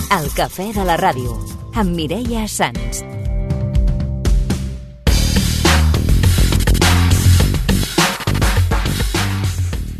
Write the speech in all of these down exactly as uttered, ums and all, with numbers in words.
El cafè de la ràdio, amb Mireia Sans.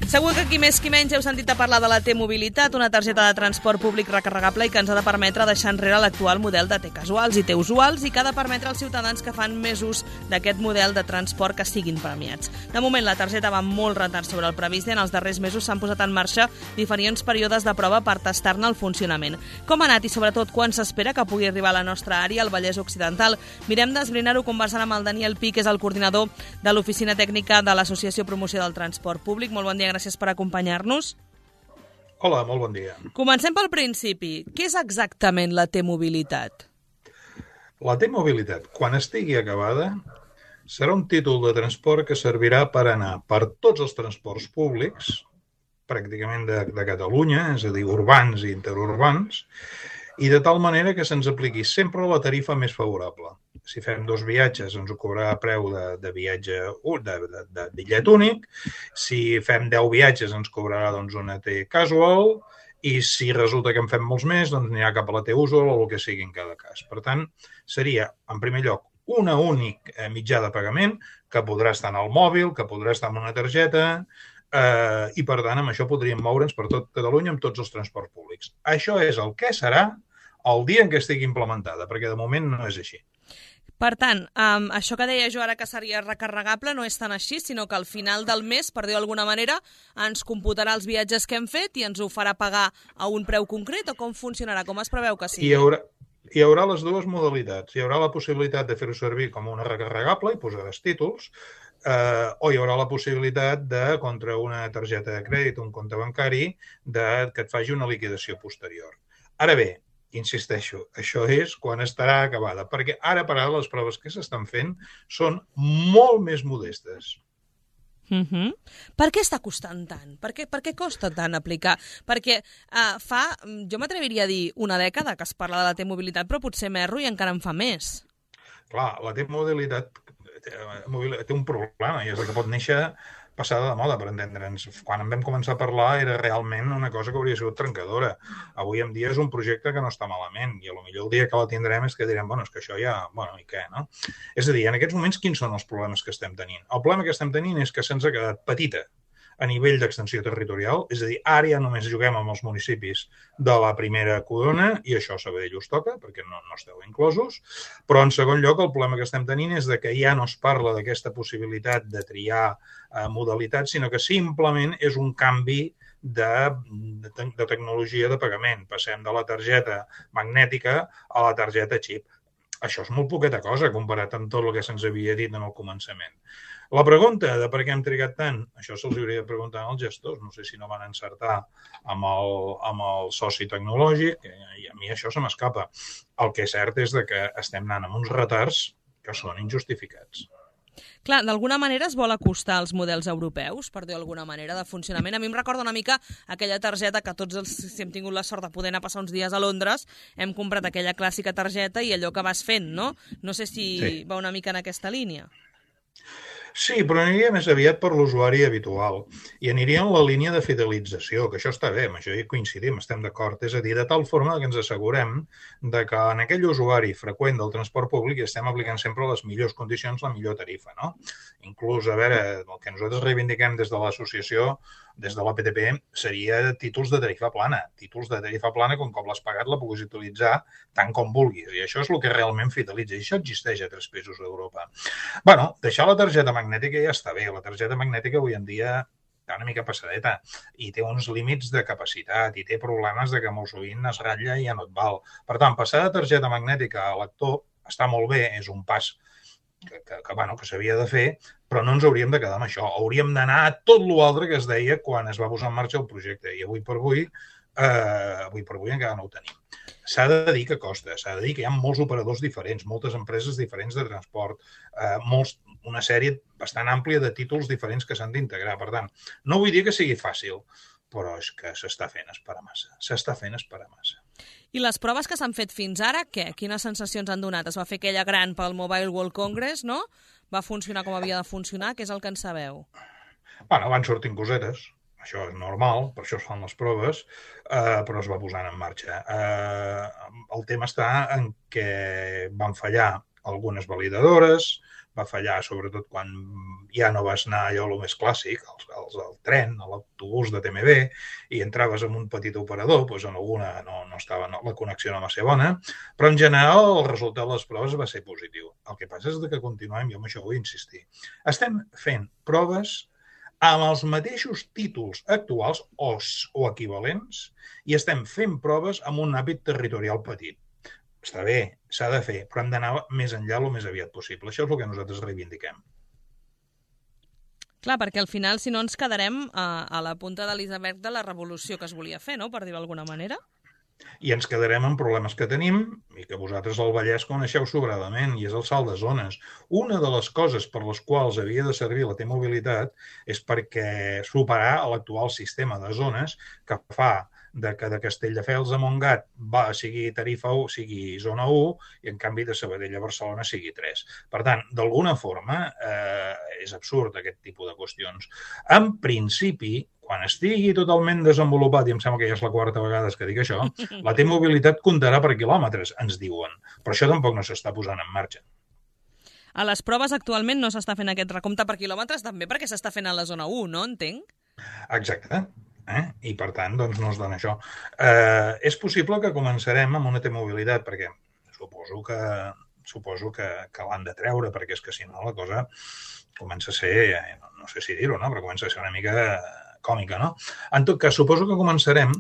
Segur que qui més qui menys heu sentit a parlar de la T-Mobilitat, una targeta de transport públic recarregable i que ens ha de permetre deixar enrere l'actual model de T-Casuals i T-Usuals i que ha de permetre als ciutadans que fan més ús d'aquest model de transport que siguin premiats. De moment, la targeta va molt retard sobre el previst i en els darrers mesos s'han posat en marxa diferents períodes de prova per tastar-ne el funcionament. Com ha anat i, sobretot, quan s'espera que pugui arribar a la nostra àrea, al Vallès Occidental? Mirem d'esbrinar-ho conversant amb el Daniel Pi, que és el coordinador de l'Oficina Tècnica de l'Associació Promoció del Transport Públic. Molt bon dia, gràcies per acompanyar-nos. Hola, molt bon dia. Comencem pel principi. Què és exactament la T-Mobilitat? La T-Mobilitat, quan estigui acabada, serà un títol de transport que servirà per anar per tots els transports públics, pràcticament de, de Catalunya, és a dir, urbans i interurbans, i de tal manera que se'ns apliqui sempre la tarifa més favorable. Si fem dos viatges, ens ho cobrarà a preu de, de viatge de, de, de bitllet únic. Si fem deu viatges, ens cobrarà doncs, una T-Casual. I si resulta que en fem molts més, doncs anirà cap a la T-Usual o el que sigui en cada cas. Per tant, seria, en primer lloc, una únic mitjà de pagament que podrà estar en el mòbil, que podrà estar en una targeta, eh, i per tant, amb això podríem moure'ns per tot Catalunya amb tots els transports públics. Això és el que serà el dia en què estigui implementada, perquè de moment no és així. Per tant, um, això que deia jo ara que seria recarregable no és tan així, sinó que al final del mes, per dir d'alguna manera, ens computarà els viatges que hem fet i ens ho farà pagar a un preu concret, o com funcionarà? Com es preveu que sigui? Hi haurà, hi haurà les dues modalitats. Hi haurà la possibilitat de fer-ho servir com una recarregable i posaràs títols, eh, o hi haurà la possibilitat de, contra una targeta de crèdit o un compte bancari, de, que et faci una liquidació posterior. Ara bé, insisteixo, això és quan estarà acabada, perquè ara per ara les proves que s'estan fent són molt més modestes. Uh-huh. Per què està costant tant? Per què, per què costa tant aplicar? Perquè uh, fa, jo m'atreviria a dir, una dècada que es parla de la T-Mobilitat, però potser m'erro i encara en fa més. Clar, la T-Mobilitat té un problema, i és que pot néixer passada de moda, per entendre'ns. Quan en vam començar a parlar era realment una cosa que hauria sigut trencadora. Avui en dia és un projecte que no està malament i potser el dia que la tindrem és que direm, bueno, és que això ja, bueno, i què, no? És a dir, en aquests moments quins són els problemes que estem tenint? El problema que estem tenint és que se'ns ha quedat petita a nivell d'extensió territorial, és a dir, ara ja només juguem amb els municipis de la primera corona, i això a Sabadell us toca, perquè no, no esteu inclosos, però en segon lloc el problema que estem tenint és de que ja no es parla d'aquesta possibilitat de triar eh, modalitats, sinó que simplement és un canvi de, de, de tecnologia de pagament. Passem de la targeta magnètica a la targeta xip. Això és molt poqueta cosa comparat amb tot el que se'ns havia dit en el començament. La pregunta de per què hem trigat tant, això se'ls hauria de preguntar als gestors. No sé si no van encertar amb el, amb el soci tecnològic, i a mi això se m'escapa. El que és cert és que estem anant amb uns retards que són injustificats. Clar, d'alguna manera es vol acostar als models europeus, per dir alguna manera, de funcionament. A mi em recorda una mica aquella targeta que tots els, si hem tingut la sort de poder anar a passar uns dies a Londres, hem comprat aquella clàssica targeta i allò que vas fent, no? No sé si sí. Va una mica en aquesta línia. Sí, però aniria més aviat per l'usuari habitual i aniria en la línia de fidelització, que això està bé, amb això hi coincidim, estem d'acord. És a dir, de tal forma que ens assegurem de que en aquell usuari freqüent del transport públic estem aplicant sempre les millors condicions, la millor tarifa, no? Inclús, a veure, el que nosaltres reivindiquem des de l'associació, des de la P T P, seria títols de tarifa plana. Títols de tarifa plana, com com l'has pagat, la puguis utilitzar tant com vulguis. I això és el que realment fidelitza. I això existeix a tres països d'Europa. Bueno, deixar la targeta magnètica ja està bé. La targeta magnètica avui en dia està una mica passadeta i té uns límits de capacitat i té problemes de que molt sovint es ratlla i ja no et val. Per tant, passar de targeta magnètica a lector està molt bé, és un pas que, que, que, bueno, que s'havia de fer, però no ens hauríem de quedar amb això. Hauríem d'anar a tot l'altre que es deia quan es va posar en marxa el projecte. I avui per avui, eh, avui per avui encara no ho tenim. S'ha de dir que costa, s'ha de dir que hi ha molts operadors diferents, moltes empreses diferents de transport, eh, molts, una sèrie bastant àmplia de títols diferents que s'han d'integrar. Per tant, no vull dir que sigui fàcil, però és que s'està fent esperar massa. S'està fent esperar massa. I les proves que s'han fet fins ara, què? Quines sensacions han donat? Es va fer aquella gran pel Mobile World Congress, no? Va funcionar com havia de funcionar, què és el que en sabeu? Bueno, van sortint cosetes. això és normal, per això es fan les proves, eh, però es va posant en marxa. Eh, el tema està en què van fallar algunes validadores, va fallar sobretot quan ja no vas anar allò el més clàssic, el, el, el tren, l'autobús de T M B, i entraves en un petit operador, doncs en alguna no, no estava no, la connexió no va ser bona, però en general el resultat de les proves va ser positiu. El que passa és que continuem, jo amb això vull insistir, estem fent proves amb els mateixos títols actuals o, o equivalents i estem fent proves amb un àmbit territorial petit. Està bé, s'ha de fer, però hem d'anar més enllà el més aviat possible. Això és el que nosaltres reivindiquem. Clar, perquè al final, si no, ens quedarem a, a la punta de l'iceberg de la revolució que es volia fer, no?, per dir-ho d'alguna manera. I ens quedarem amb problemes que tenim i que vosaltres al Vallès coneixeu sobradament, i és el salt de zones. Una de les coses per les quals havia de servir la T-mobilitat és perquè superar l'actual sistema de zones que fa de que de Castelldefels a Montgat va, sigui tarifa u, sigui zona u, i en canvi de Sabadell a Barcelona sigui tres. Per tant, d'alguna forma, eh, és absurd aquest tipus de qüestions. En principi, quan estigui totalment desenvolupat, i em sembla que ja és la quarta vegada que dic això, la T-mobilitat comptarà per quilòmetres, ens diuen. Però això tampoc no s'està posant en marxa. A les proves actualment no s'està fent aquest recompte per quilòmetres, també perquè s'està fent a la zona u, no? Entenc? Exacte. Eh? I, per tant, doncs no es dona això. Eh, és possible que començarem amb una T-mobilitat, perquè suposo que, suposo que, que l'han de treure, perquè és que si no la cosa comença a ser, eh, no sé si dir-ho, no? Però comença a ser una mica còmica, no? En tot cas, suposo que començarem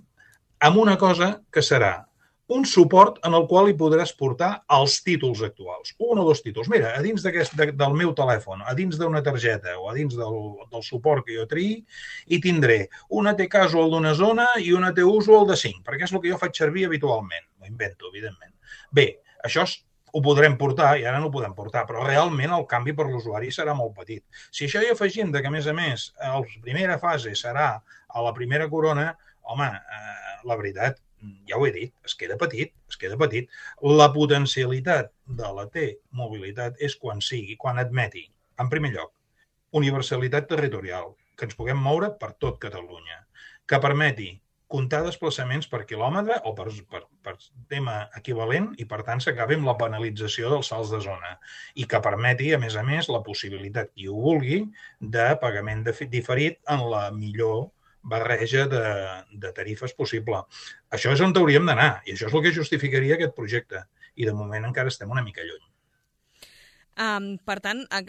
amb una cosa que serà un suport en el qual hi podràs portar els títols actuals. Un o dos títols. Mira, a dins de, del meu telèfon, a dins d'una targeta o a dins del, del suport que jo triï, hi tindré una T-Casual d'una zona i una T-Usual de cinc, perquè és el que jo faig servir habitualment. Ho invento, evidentment. Bé, això és, ho podrem portar, i ara no ho podem portar, però realment el canvi per l'usuari serà molt petit. Si això hi afegim de que, a més a més, la primera fase serà a la primera corona, home, eh, la veritat, ja ho he dit, es queda petit, es queda petit. La potencialitat de la T-mobilitat és quan sigui, quan admeti, en primer lloc, universalitat territorial, que ens puguem moure per tot Catalunya, que permeti comptar desplaçaments per quilòmetre o per, per, per tema equivalent i, per tant, s'acabi amb la penalització dels salts de zona i que permeti, a més a més, la possibilitat, qui ho vulgui, de pagament de, diferit en la millor barreja de, de tarifes possible. Això és on hauríem d'anar i això és el que justificaria aquest projecte i de moment encara estem una mica lluny. Um, per tant, a,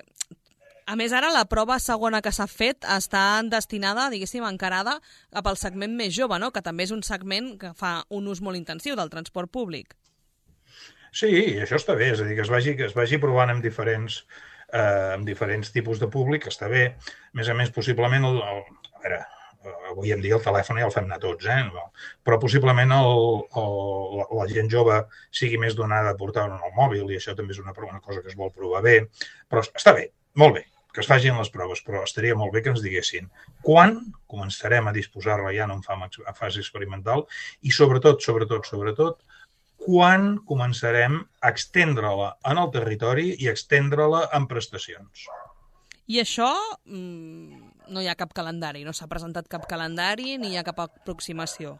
a més ara la prova segona que s'ha fet està destinada, diguéssim, encarada cap al segment més jove, no? Que també és un segment que fa un ús molt intensiu del transport públic. Sí, això està bé, és a dir, que es vagi, que es vagi provant amb diferents, eh, amb diferents tipus de públic, està bé. A més a més, possiblement, el, el, a veure, avui en dia el telèfon ja el fem anar tots, eh? Però possiblement el, el, la gent jove sigui més donada a portar en el mòbil i això també és una, una cosa que es vol provar bé. Però està bé, molt bé, que es facin les proves, però estaria molt bé que ens diguessin quan començarem a disposar-la ja no en fase experimental i sobretot, sobretot, sobretot, quan començarem a extendre-la en el territori i extendre-la en prestacions. I això mmm, no hi ha cap calendari, no s'ha presentat cap calendari ni hi ha cap aproximació.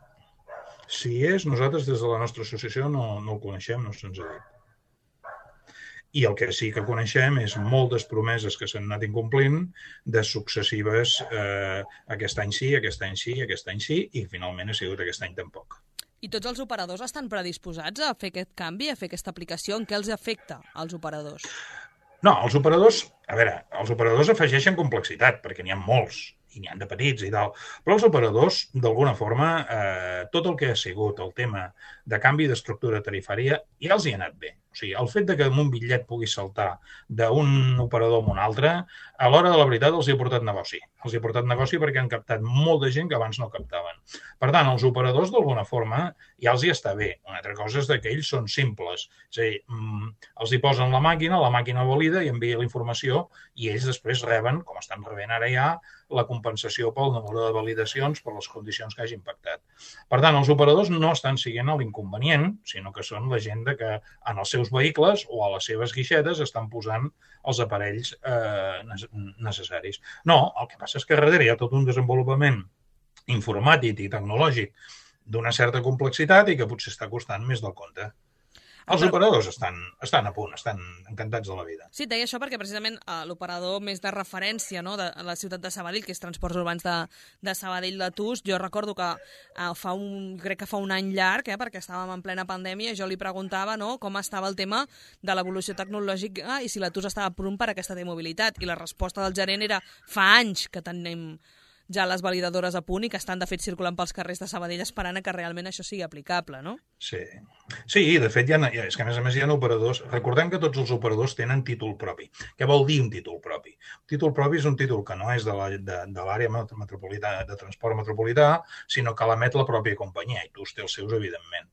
Si és, nosaltres des de la nostra associació no, no el coneixem, no se'ns ha dit. I el que sí que coneixem és moltes promeses que s'han anat incomplint de successives eh, aquest any sí, aquest any sí, aquest any sí, i finalment ha sigut aquest any tampoc. I tots els operadors estan predisposats a fer aquest canvi, a fer aquesta aplicació? En què els afecta als operadors? No, els operadors, a veure, els operadors afegeixen complexitat, perquè n'hi ha molts, i n'hi ha de petits i tal, però els operadors, d'alguna forma, eh, tot el que ha sigut el tema de canvi d'estructura tarifària ja els hi ha anat bé. O sigui, el fet de que un bitllet pugui saltar d'un operador a un altre, a l'hora de la veritat els hi ha portat negoci. Els hi ha portat negoci perquè han captat molta gent que abans no captaven. Per tant, els operadors, d'alguna forma, ja els hi està bé. Una altra cosa és que ells són simples. És a dir, els hi posen la màquina, la màquina valida i envia la informació i ells després reben, com estan rebent ara ja, la compensació pel número de validacions per les condicions que hagin pactat. Per tant, els operadors no estan siguent l'inconvenient, sinó que són la gent que en els seus vehicles o a les seves guixetes estan posant els aparells eh, necessaris. No, el que passa és que darrere hi ha tot un desenvolupament informàtic i tecnològic d'una certa complexitat i que potser està costant més del compte. Els operadors estan, estan a punt, estan encantats de la vida. Sí, et deia això perquè precisament uh, l'operador més de referència, no, de la ciutat de Sabadell, que és Transports Urbans de, de Sabadell de Tus, jo recordo que uh, fa un, crec que fa un any llarg, eh, perquè estàvem en plena pandèmia, jo li preguntava, no, com estava el tema de l'evolució tecnològica i si la Tus estava a punt per aquesta T-mobilitat. I la resposta del gerent era fa anys que tenim ja les validadores a punt i que estan, de fet, circulant pels carrers de Sabadell esperant que realment això sigui aplicable, no? Sí, sí, de fet, hi ha, és que a més a més hi ha operadors... Recordem que tots els operadors tenen títol propi. Què vol dir un títol propi? Un títol propi és un títol que no és de l'àrea metropolitana, de transport metropolità, sinó que l'emet la pròpia companyia, i Tus té els seus, evidentment.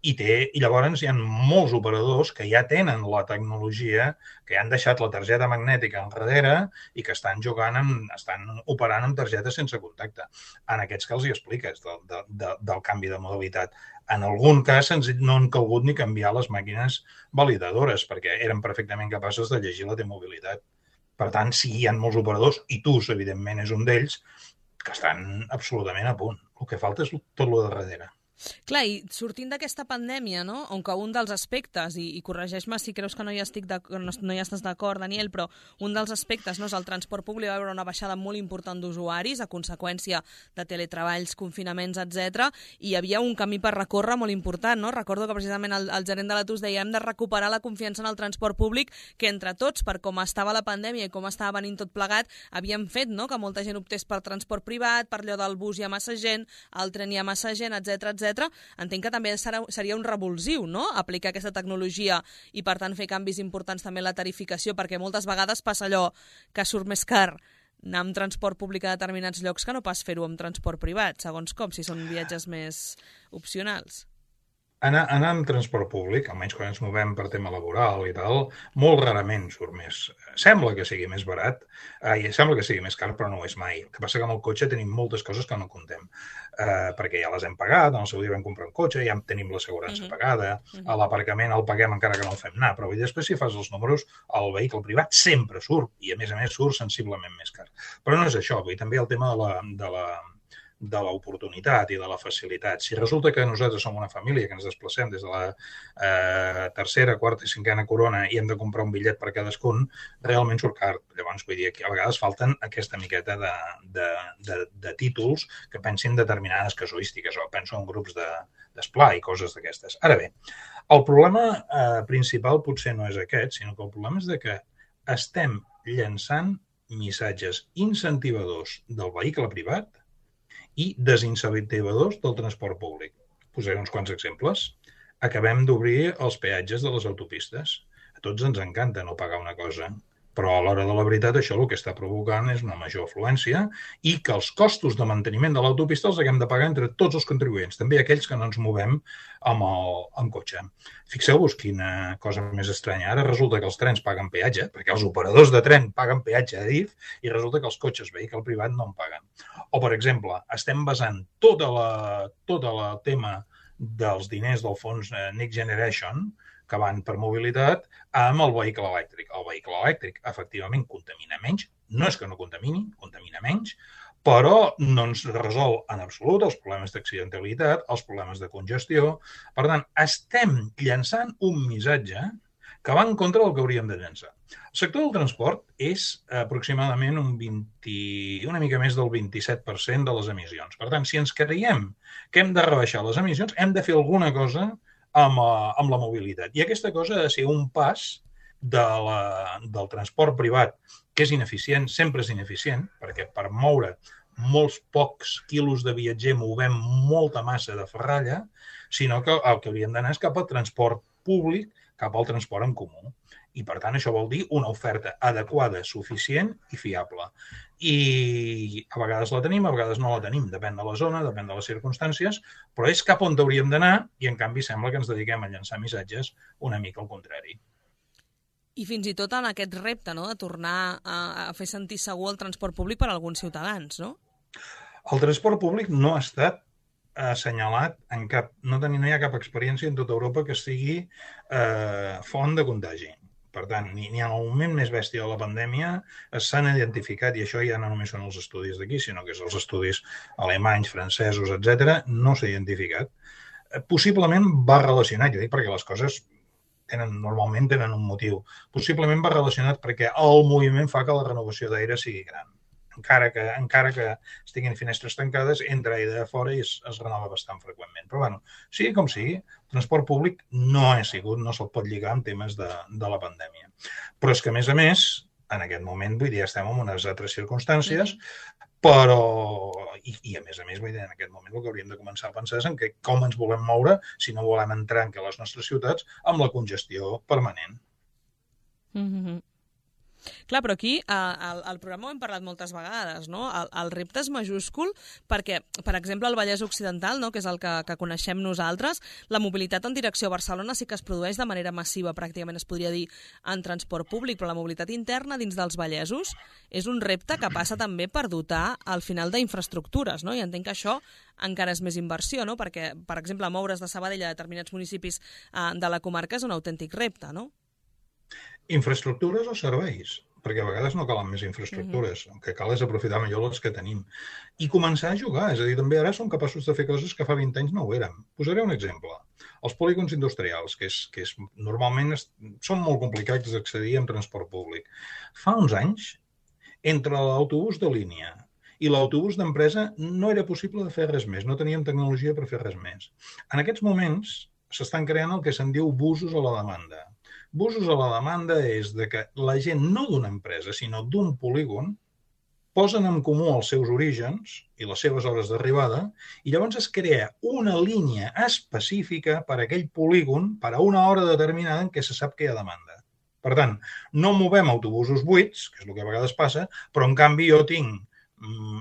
I, té, I llavors hi ha molts operadors que ja tenen la tecnologia, que ja han deixat la targeta magnètica enrere i que estan jugant, amb, estan operant amb targetes sense contacte. En aquests que els hi expliques del, de, de, del canvi de modalitat. En algun cas no han calgut ni canviar les màquines validadores perquè eren perfectament capaces de llegir la T-mobilitat. Per tant, sí, hi ha molts operadors, i Tus, evidentment, és un d'ells, que estan absolutament a punt. El que falta és tot lo de darrere. Clar, i sortint d'aquesta pandèmia, no? On que un dels aspectes, i, i corregeix-me si creus que no hi, estic no, no hi estàs d'acord, Daniel, però un dels aspectes, no, és el transport públic, va haver una baixada molt important d'usuaris a conseqüència de teletreballs, confinaments, etcètera, i hi havia un camí per recórrer molt important, no? Recordo que precisament el, el gerent de la Tus deia hem de recuperar la confiança en el transport públic que entre tots, per com estava la pandèmia i com estava venint tot plegat, havíem fet, no?, que molta gent optés per transport privat, per allò del bus hi ha massa gent, al tren hi ha massa gent, etcètera, etcètera. Entenc que també serà, seria un revulsiu, no?, aplicar aquesta tecnologia i, per tant, fer canvis importants també en la tarificació, perquè moltes vegades passa allò que surt més car anar amb transport públic a determinats llocs que no pas fer-ho amb transport privat, segons com, si són viatges més opcionals. Anar, anar amb transport públic, almenys quan ens movem per tema laboral i tal, molt rarament surt més. Sembla que sigui més barat, eh, sembla que sigui més car, però no ho és mai. El que passa que amb el cotxe tenim moltes coses que no contem, eh, perquè ja les hem pagat, en el seu dia vam comprar un cotxe, ja tenim l'assegurança uh-huh. pagada, uh-huh. a l'aparcament el paguem encara que no el fem anar, però després si fas els números, el vehicle privat sempre surt, i a més a més surt sensiblement més car. Però no és això, vull dir, també el tema de la... De la de l'oportunitat i de la facilitat. Si resulta que nosaltres som una família que ens desplacem des de la eh, tercera, quarta i cinquena corona i hem de comprar un bitllet per cadascun, realment surt car. Llavors, vull dir que a vegades falten aquesta miqueta de, de, de, de títols que pensin determinades casuístiques, o penso en grups de, d'esplà i coses d'aquestes. Ara bé, el problema eh, principal potser no és aquest, sinó que el problema és de que estem llançant missatges incentivadors del vehicle privat i desincentivadors del transport públic. Posaré uns quants exemples. Acabem d'obrir els peatges de les autopistes. A tots ens encanta no pagar una cosa, però a l'hora de la veritat això el que està provocant és una major afluència i que els costos de manteniment de l'autopista els haguem de pagar entre tots els contribuents, també aquells que no ens movem amb el amb cotxe. Fixeu-vos quina cosa més estranya. Ara resulta que els trens paguen peatge, perquè els operadors de tren paguen peatge a Adif, i resulta que els cotxes vehicle privat no en paguen. O, per exemple, estem basant tota la, tota la tema dels diners del fons Next Generation, que van per mobilitat, amb el vehicle elèctric. El vehicle elèctric, efectivament, contamina menys. No és que no contamini, contamina menys, però no ens resol en absolut els problemes d'accidentalitat, els problemes de congestió. Per tant, estem llançant un missatge que va en contra del que hauríem de llançar. El sector del transport és aproximadament un vint, una mica més del vint-i-set per cent de les emissions. Per tant, si ens creiem que hem de rebaixar les emissions, hem de fer alguna cosa amb, amb la mobilitat. I aquesta cosa ha de ser un pas de la, del transport privat, que és ineficient, sempre és ineficient, perquè per moure molts pocs quilos de viatger movem molta massa de ferralla, sinó que el que hauríem d'anar és cap al transport públic, cap al transport en comú. I, per tant, això vol dir una oferta adequada, suficient i fiable. I a vegades la tenim, a vegades no la tenim. Depèn de la zona, depèn de les circumstàncies, però és cap on hauríem d'anar i, en canvi, sembla que ens dediquem a llançar missatges una mica al contrari. I fins i tot en aquest repte, no?, de tornar a, a fer sentir segur el transport públic per a alguns ciutadans, no? El transport públic no ha estat assenyalat en cap... No, no hi ha cap experiència en tota Europa que sigui eh, font de contagi. Per tant, ni, ni en el moment més bèstia de la pandèmia s'han identificat, i això ja no només són els estudis d'aquí, sinó que és els estudis alemanys, francesos, etcètera, no s'ha identificat. Possiblement va relacionat, jo dic perquè les coses tenen, normalment tenen un motiu, possiblement va relacionat perquè el moviment fa que la renovació d'aire sigui gran. Encara que, encara que estiguin finestres tancades, entra aire de fora i es, es renova bastant freqüentment. Però bueno, sigui com sigui, transport públic no ha sigut, no se'l pot lligar amb temes de, de la pandèmia. Però és que, a més a més, en aquest moment, vull dir, estem en unes altres circumstàncies, però, i, i a més a més, vull dir, en aquest moment el que hauríem de començar a pensar és en que com ens volem moure si no volem entrar en les nostres ciutats amb la congestió permanent. Mm-hmm. Clar, però aquí al, al programa ho hem parlat moltes vegades, no? El, el repte és majúscul perquè, per exemple, al Vallès Occidental, no? Que és el que, que coneixem nosaltres, la mobilitat en direcció a Barcelona sí que es produeix de manera massiva, pràcticament es podria dir en transport públic, però la mobilitat interna dins dels Vallesos és un repte que passa també per dotar al final d'infraestructures, no? I entenc que això encara és més inversió, no? Perquè, per exemple, moure's de Sabadell a determinats municipis eh, de la comarca és un autèntic repte, no? Infraestructures o serveis? Perquè a vegades no calen més infraestructures. Mm-hmm. El que cal és aprofitar millor les que tenim. I començar a jugar. És a dir, també ara som capaços de fer coses que fa vint anys no ho érem. Posaré un exemple. Els polígons industrials, que, és, que és, normalment es, són molt complicats d'accedir amb transport públic. Fa uns anys, entre l'autobús de línia i l'autobús d'empresa no era possible de fer res més. No teníem tecnologia per fer res més. En aquests moments s'estan creant el que se'n diu busos a la demanda. Busos a la demanda és de que la gent, no d'una empresa, sinó d'un polígon, posen en comú els seus orígens i les seves hores d'arribada i llavors es crea una línia específica per a aquell polígon per a una hora determinada en què se sap que hi ha demanda. Per tant, no movem autobusos buits, que és el que a vegades passa, però en canvi jo tinc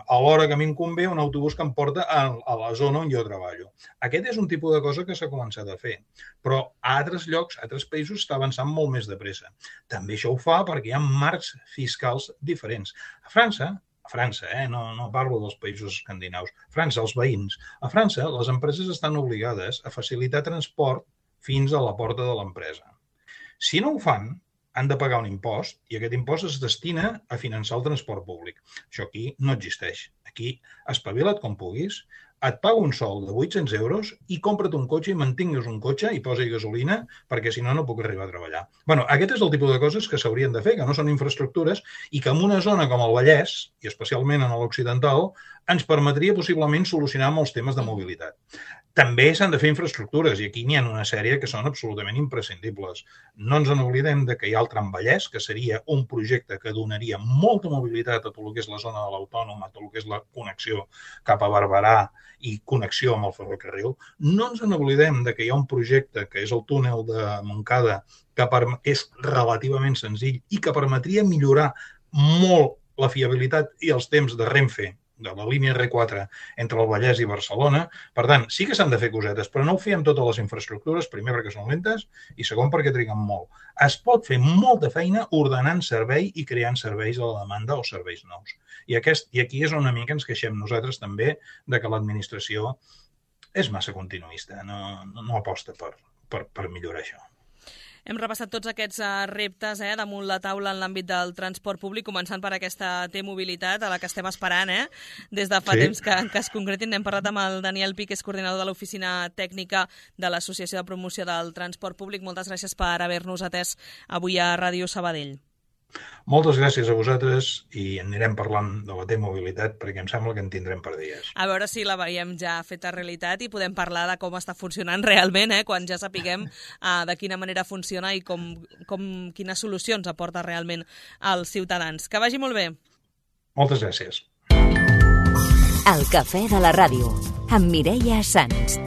a l'hora que m'hi convé un autobús que em porta a, a la zona on jo treballo. Aquest és un tipus de cosa que s'ha començat a fer, però a altres llocs, a altres països, està avançant molt més de pressa. També això ho fa perquè hi ha marcs fiscals diferents. A França, a França, eh? no, no parlo dels països escandinaus, França, els veïns, a França les empreses estan obligades a facilitar transport fins a la porta de l'empresa. Si no ho fan, han de pagar un impost i aquest impost es destina a finançar el transport públic. Això aquí no existeix. Aquí, espavila't com puguis, et paga un sou de vuit-cents euros i compra't un cotxe i mantingues un cotxe i posa-hi gasolina perquè si no, no puc arribar a treballar. Bueno, aquest és el tipus de coses que s'haurien de fer, que no són infraestructures i que en una zona com el Vallès, i especialment en l'Occidental, ens permetria possiblement solucionar molts temes de mobilitat. També s'han de fer infraestructures i aquí n'hi ha una sèrie que són absolutament imprescindibles. No ens n'oblidem de que hi ha el Tram Vallès, que seria un projecte que donaria molta mobilitat a tot el que és la zona de l'Autònoma, a tot el que és la connexió cap a Barberà i connexió amb el ferrocarril. No ens n'oblidem de que hi ha un projecte que és el túnel de Montcada, que és relativament senzill i que permetria millorar molt la fiabilitat i els temps de Renfe, de la línia erre quatre entre el Vallès i Barcelona. Per tant, sí que s'han de fer cosetes, però no ho fiem totes les infraestructures, primer perquè són lentes i segon perquè triguen molt. Es pot fer molta feina ordenant servei i creant serveis a la demanda o serveis nous. I, aquest, i aquí és una mica ens queixem nosaltres també de que l'administració és massa continuista, no, no, no aposta per, per, per millorar això. Hem repassat tots aquests reptes eh, damunt la taula en l'àmbit del transport públic, començant per aquesta T-mobilitat, a la que estem esperant eh, des de fa sí. temps que, que es concretin. Hem parlat amb el Daniel Pi, que és coordinador de l'Oficina Tècnica de l'Associació de Promoció del Transport Públic. Moltes gràcies per haver-nos atès avui a Ràdio Sabadell. Moltes gràcies a vosaltres i anirem parlant de la T-mobilitat perquè em sembla que en tindrem per dies. A veure si la veiem ja feta realitat i podem parlar de com està funcionant realment, eh, quan ja sapiguem uh, de quina manera funciona i com, com, quines solucions aporta realment als ciutadans. Que vagi molt bé. Moltes gràcies. El cafè de la ràdio, amb Mireia Sans.